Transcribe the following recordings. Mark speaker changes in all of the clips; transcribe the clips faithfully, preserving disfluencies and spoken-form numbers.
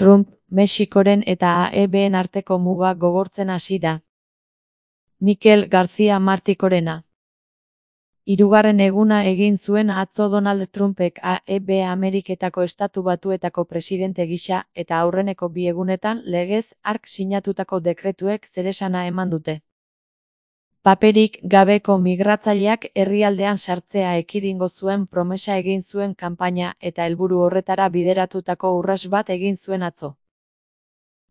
Speaker 1: Trump, Mexikoren eta A E B-en arteko muga gogortzen hasi da. Mikel García Martikorena. Hirugarren eguna egin zuen atzo Donald Trumpek A E B Ameriketako Estatu Batuetako presidente gisa eta aurreneko bi egunetan legez hark sinatutako dekretuek zeresana eman dute. Paperik gabeko migratzaileak herrialdean sartzea ekidingo zuen promesa egin zuen kanpaina eta helburu horretara bideratutako urrats bat egin zuen atzo.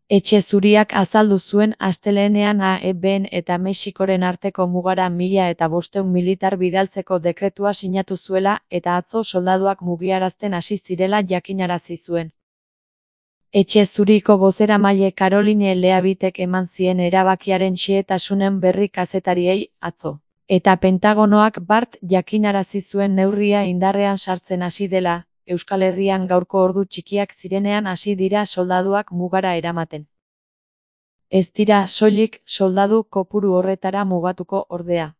Speaker 1: Etxe Zuriak azaldu zuen astelehenean A E B-en eta Mexikoren arteko mugara mila eta bostehun militar bidaltzeko dekretua sinatu zuela eta atzo soldaduak mugiarazten hasi zirela jakinarazi zuen. Etxe Zuriko bozeramaile Caroline Leavitek eman zien erabakiaren xehetasunen berri kazetariei atzo. Eta Pentagonoak bart jakinarazi zuen neurria indarrean sartzen hasi dela, Euskal Herrian gaurko ordu txikiak zirenean hasi dira soldaduak mugara eramaten. Ez dira soilik soldadu kopuru horretara mugatuko ordea.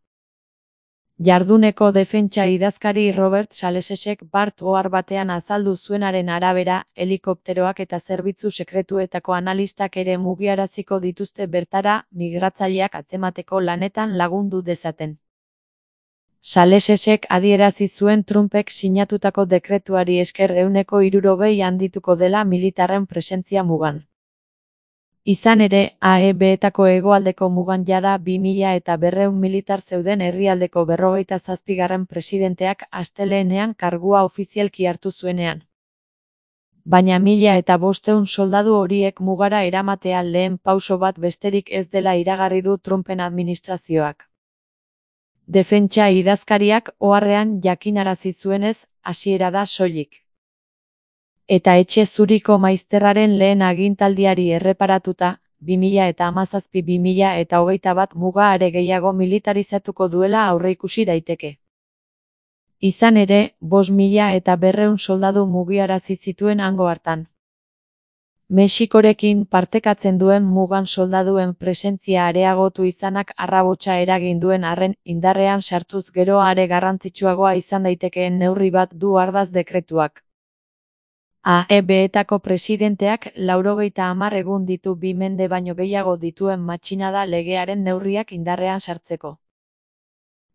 Speaker 1: Jarduneko defentsa idazkari Robert Salesesek bart ohar batean azaldu zuenaren arabera, helikopteroak eta zerbitzu sekretuetako analistak ere mugiaraziko dituzte bertara migratzaileak atzemateko lanetan lagundu dezaten. Salesesek adierazi zuen Trumpek sinatutako dekretuari esker ehuneko hirurogei handituko dela militarren presentzia mugan. Izan ere, A E B-etako hegoaldeko mugan jada bi mila eta berrehun militar zeuden herrialdeko berrogeita zazpigarren presidenteak astelehenean kargua ofizialki hartu zuenean. Baina mila eta bostehun soldadu horiek mugara eramatea lehen pauso bat besterik ez dela iragarri du Trumpen administrazioak. Defentsa idazkariak oharrean jakinarazi zuenez, hasiera da soilik. Eta Etxe Zuriko maizterraren lehen agintaldiari erreparatuta, bi mila eta hamazazpi bi mila eta hogeita bat muga are gehiago militarizatuko duela aurreikusi daiteke. Izan ere, bost mila eta berrehun soldadu mugiarazi zituen hango hartan. Mexikorekin partekatzen duen mugan soldaduen presentzia areagotu izanak arrabotsa eragin duen arren indarrean sartuz gero are garrantzitsuagoa izan daitekeen neurri bat du ardaz dekretuak. A E B-etako presidenteak laurogeita hamar egun ditu bi mende baino gehiago dituen matxinada legearen neurriak indarrean sartzeko.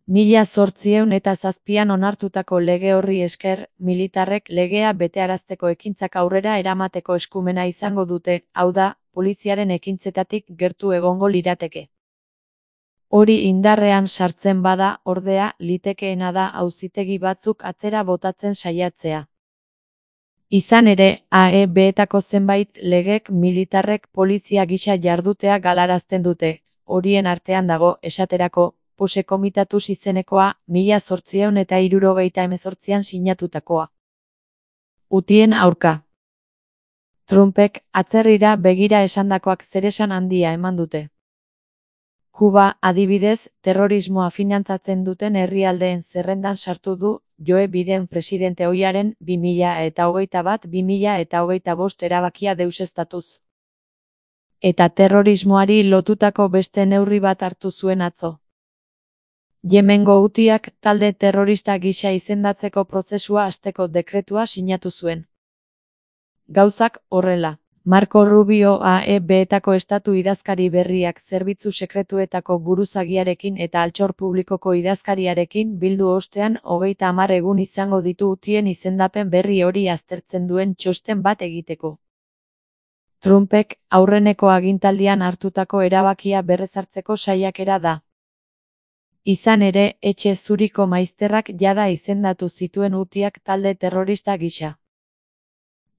Speaker 1: Mila zortziehun eta zazpian onartutako lege horri esker, militarrek legea betearazteko ekintzak aurrera eramateko eskumena izango dute, hau da, poliziaren ekintzetatik gertu egongo lirateke. Hori indarrean sartzen bada, ordea, litekeena da auzitegi batzuk atzera botatzen saiatzea. Izan ere, A E B-etako zenbait legek militarrek polizia gisa jardutea galarazten dute, horien artean dago, esaterako, Pose Komitatuz izenekoa, mila zortziehun eta hirurogeita hemezortzian sinatutakoa. Hutien aurka. Trumpek atzerrira begira esandakoak zeresan handia eman dute. Kuba, adibidez, terrorismoa finantzatzen duten herrialdeen zerrendan sartu du Joe Biden presidente ohiaren bi mila eta hogeita bat bi mila eta hogeita bost erabakia deuseztatuz. Eta terrorismoari lotutako beste neurri bat hartu zuen atzo. Yemengo Hutiak talde terrorista gisa izendatzeko prozesua hasteko dekretua sinatu zuen. Gauzak horrela. Marco Rubio A E B-etako estatu idazkari berriak zerbitzu sekretuetako buruzagiarekin eta altxor publikoko idazkariarekin bildu ostean hogeita hamar egun izango ditu Hutien izendapen berri hori aztertzen duen txosten bat egiteko. Trumpek aurreneko agintaldian hartutako erabakia berrezartzeko saiakera da. Izan ere, Etxe Zuriko maizterrak jada izendatu zituen Hutiak talde terrorista gisa.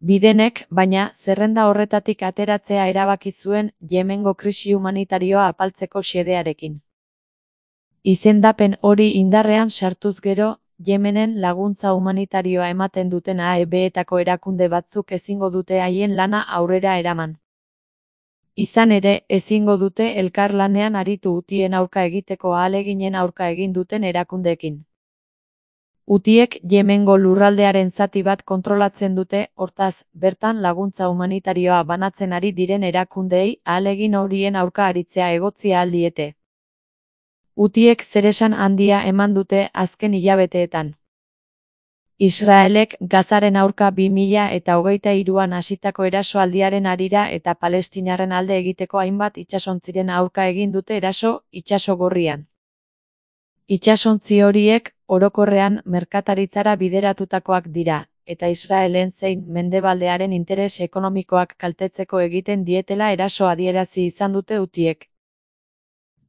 Speaker 1: Bidenek, baina, zerrenda horretatik ateratzea erabaki zuen Yemengo krisi humanitarioa apaltzeko xedearekin. Izendapen hori indarrean sartuz gero, Yemenen laguntza humanitarioa ematen duten A E B-etako erakunde batzuk ezingo dute haien lana aurrera eraman. Izan ere, ezingo dute elkarlanean aritu Hutien aurka egiteko ahaleginen aurka egin duten erakundeekin. Hutiek Yemengo lurraldearen zati bat kontrolatzen dute, hortaz, bertan laguntza humanitarioa banatzen ari diren erakundeei ahalegin horien aurka aritzea egotzi ahal diete. Hutiek zeresan handia eman dute azken hilabeteetan. Israelek Gazaren aurka bi mila eta hogeita hiruan hasitako erasoaldiaren harira eta palestinarren alde egiteko hainbat itsasontziren aurka egin dute eraso Itsaso Gorrian. Itsasontzi horiek orokorrean merkataritzara bideratutakoak dira, eta Israelen zein Mendebaldearen interes ekonomikoak kaltetzeko egiten dietela eraso adierazi izan dute Hutiek.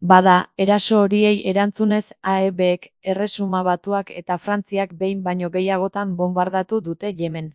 Speaker 1: Bada, eraso horiei erantzunez A E Bek, Erresuma Batuak eta Frantziak behin baino gehiagotan bonbardatu dute Yemen.